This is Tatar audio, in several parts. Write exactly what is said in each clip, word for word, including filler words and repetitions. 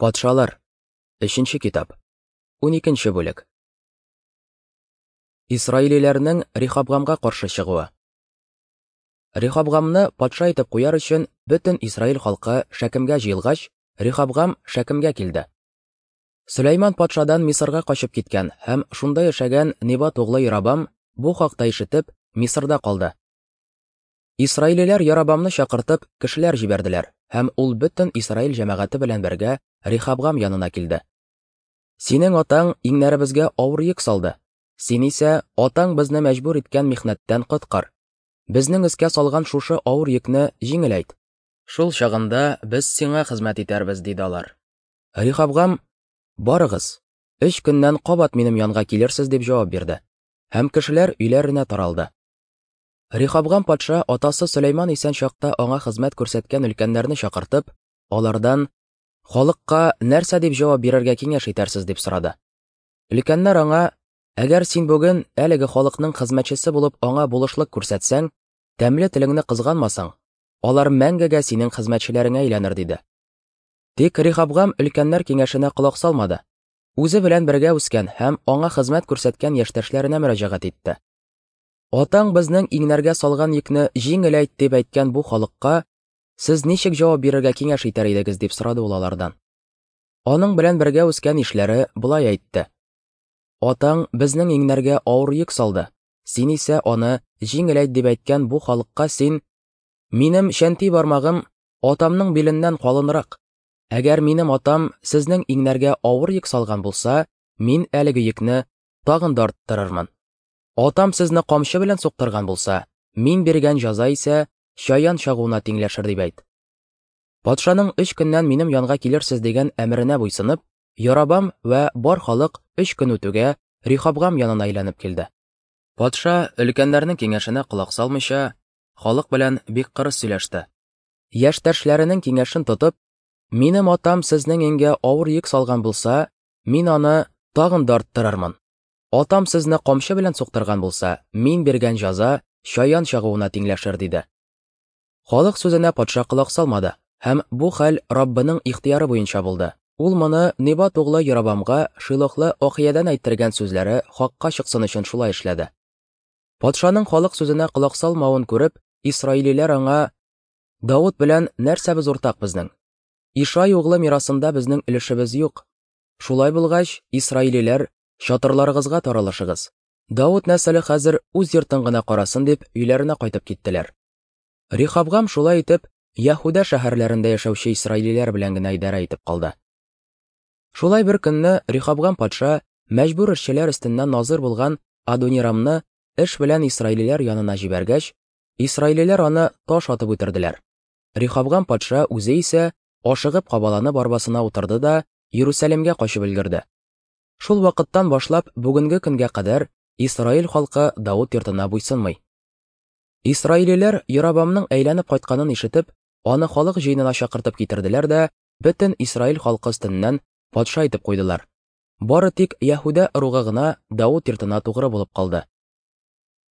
Патшалар. Өченче китап. Уникенче бүлек. Исраилиләрнең Рихабгамга каршы чыгуы. Рихабгамны патша итеп куяр өчен бөтен Исраил халкы Шәкемгә җыелгач, Рихабгам Шәкемгә килде. Сөләйман патшадан Мисырга качып киткән һәм шунда яшәгән Небат углы Ярабам бу хакта ишетеп, Мисырда калды. Исраилиләр Ярабамны чакыртып, кешеләр җибәрделәр, һәм ул бөтен Исраил җәмәгате белән бергә Рихабгам янына килде. Синең атаң иңнәребезгә авыр йөк салды. Син исә атаң безне мәҗбүр иткән михнәттән коткар. Безнең өскә салган шушы авыр йөкне җиңеләйт. Шул чагында без сиңа хезмәт итәрбез, диде алар. Рихабгам: "Барыгыз, өч көннән кабат минем янга килерсез", дип җавап бирде. Һәм кешеләр өйләренә таралды. Рихабгам патша атасы Сөләйман исән чакта аңа хезмәт күрсәткән өлкәннәрне чакыртып, алардан: "Халыкка нәрсә дип җавап бирергә киңәш итәрсез?" дип сорады. Өлкәннәр аңа: "Әгәр син бүген әлеге халыкның хезмәтчесе булып аңа булышлык күрсәтсәң, тәмле телеңне кызганмасаң, алар мәңгегә синең хезмәтчеләреңә әйләнер", диде. Тик Рихабгам өлкәннәр киңәшенә колак салмады. Үзе белән бергә үскән һәм аңа хезмәт күрсәткән яшьтәшләренә мөрәҗәгать итте. "Атаң безнең иңнәргә салган йөкне җиңеләйт дип әйткән бу халыкка сез ничек җавап бирергә киңәш итәр идегез?" дип сорады ул алардан. Аның белән бергә үскән ишләре болай әйтте: "Атаң безнең иңнәргә авыр йөк салды. Син исә аны җиңеләйт дип әйткән бу халыкка син: "Минем чәнти бармагым атамның биленнән калынрак. Әгәр минем атам сезнең иңнәргә авыр йөк салган булса, мин әлеге йөкне тагын да арттырырмын. Атам сезне камчы белән суктырган булса, мин биргән җәза исә чаян чагуына тиңләшер", дип әйт. Патшаның өч көннән минем янга килерсез дигән әмеренә буйсынып, Ярабам вә бар халык өч көн үтүгә Рихабгам янына әйләнеп килде. Патша өлкәннәрнең киңәшенә колак салмыйча, халык белән бик кырыс сөйләште. Яшьтәшләренең киңәшен тотып: "Минем атам сезнең иңгә авыр йөк салган булса, мин аны тагын да арттырырмын. Атам сезне камчы белән суктырган булса, мин биргән җәза чаян чагуына тиңләшер", диде. Халык сүзенә патша колак салмады, һәм бу хәл Раббының ихтыяры буенча булды. Ул моны Небат углы Ярабамга Шилохлы Ахиядән әйттергән сүзләре хакка чыксын өчен шулай эшләде. Патшаның халык сүзенә колак салмавын күреп, исраилиләр аңа: "Давыт белән нәрсәбез уртак безнең? Ишай углы мирасында безнең өлешебез юк. Шулай булгач, исраилиләр, чатырларыгызга таралышыгыз. Давыт нәселе хәзер үз йортын гына карасын", дип өйләренә кайтып киттеләр. Рихабгам шулай итеп Яһүдә шәһәрләрендә яшәүче исраилиләр белән генә идарә итеп калды. Шулай бер көнне Рихабгам патша мәҗбүр эшчеләр өстеннән назыр булган Адонирамны эш белән исраилиләр янына җибәргәч, исраилиләр аны таш атып үтерделәр. Рихабгам патша үзе исә ашыгып кабаланып арбасына утырды да Иерусалимгә качып өлгерде. Шул вакыттан башлап бүгенге көнгә кадәр Исраил халкы Давыт йортына буйсынмый. Исраилиләр Ярабамның әйләнеп кайтканын ишетеп, аны халык җыенына чакыртып китерделәр дә бөтен Исраил халкы өстеннән патша итеп куйдылар. Бары тик Яһүдә ыругы гына Давыт йортына тугры булып калды.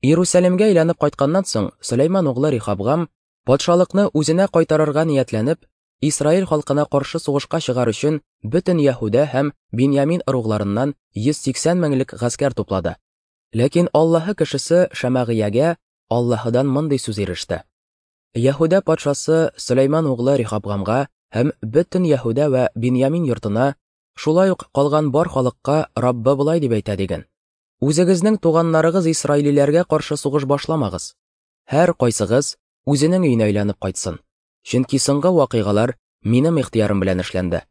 Иерусалимгә әйләнеп кайтканнан соң Сөләйман углы Рихабгам патшалыкны үзенә кайтарырга ниятләнеп, Исраил халкына каршы сугышка чыгар өчен бөтен Яһүдә һәм Биньямин ыругларыннан йөз сиксән меңлек гаскәр туплады. Ләкин Аллаһы кешесе Шәмәгыягә Аллаһыдан мондый сүз иреште: "Яһүдә патшасы Сөләйман углы Рихабгамга һәм бөтен Яһүдә вә Биньямин йортына, шулай ук калган бар халыкка Раббы болай дип әйтә диген: Үзегезнең туганнарыгыз исраилиләргә каршы сугыш башламагыз. Һәр кайсыгыз үзенең өенә әйләнеп кайтсын. Чөнки соңгы вакыйгалар минем ихтыярым белән эшләнде".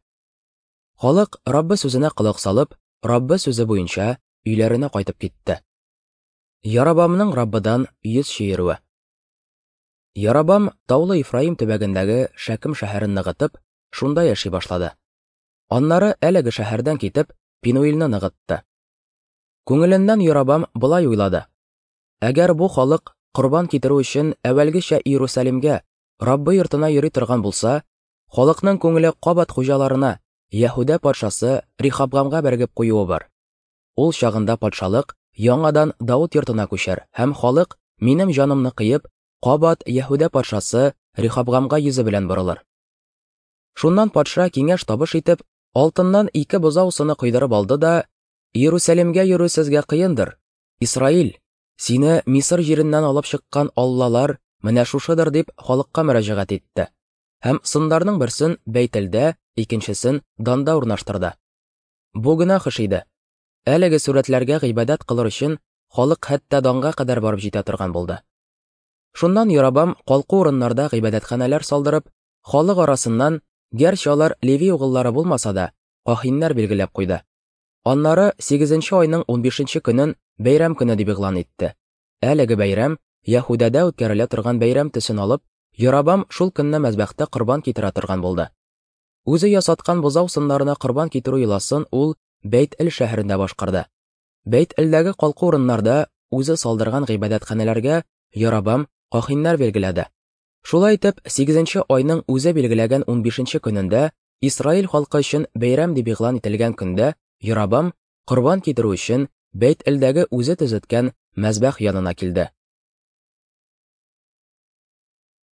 Халык Раббы сүзенә колак салып, Раббы сүзе буенча өйләренә кайтып китте. Ярабамның Раббыдан йөз чөерүе. Ярабам таулы Ефраим төбәгендәге Шәкем шәһәрен ныгытып, шунда яши башлады. Аннары әлеге шәһәрдән китеп, Пинуилне ныгытты. Күңеленнән Ярабам болай уйлады: "Әгәр бу халык корбан китерү өчен әүвәлгечә Иерусалимгә, Раббы йортына йөри торган булса, халыкның күңеле кабат хуҗаларына, Яһүдә патшасы Рихабгамга бәргеп куюы бар. Ул чагында патшалык яңадан Давыт йортына күчәр һәм халык минем җанымны кыеп, кабат Яһүдә патшасы Рихабгамга йөзе белән борылыр". Шуннан патша киңәш табыш итеп, Алтыннан ике бозау сыны койдырып алды да, Иерусалимгә йөрү сезгә кыендыр, Исраил, сине Мисыр җиреннән алып чыккан аллалар менә шушыдыр дип халыкка мөрәҗәгать итте. Һәм сыннарның берсен Бәйтелдә, икенчесен Данда урнаштырды. Бу гөнаһ эш иде. Әлеге сурәтләргә гыйбадәт кылыр өчен халык хәтта Данга кадәр барып җитә торган булды. Шуннан Ярабам калку урыннарда гыйбадәтханәләр салдырып, халык арасыннан, гәрчә алар Леви угыллары булмаса да, каһиннәр билгеләп куйды. Аннары сигезенче айның унбишенче көнен бәйрәм көне дип игълан итте. Әлеге бәйрәм Яһүдәдә үткәрелә торган бәйрәм төсен алып, Ярабам шул көнне мәзбәхтә корбан китерә торган булды. Үзе ясаткан бозау сыннарына корбан китерү йоласын ул Бәйт-Эл шәһәрендә башкарды. Бәйт-Элдәге калку урыннарда үзе салдырган гыйбадәтханәләргә Ярабам каһиннәр билгеләде. Шулай итеп, сигезенче айның үзе билгеләгән унбишенче көнендә Исраил халкы өчен бәйрәм дип игълан ителгән көндә Ярабам корбан китерү өчен Бәйт-Элдәге үзе төзеткән мәзбәх янына килде.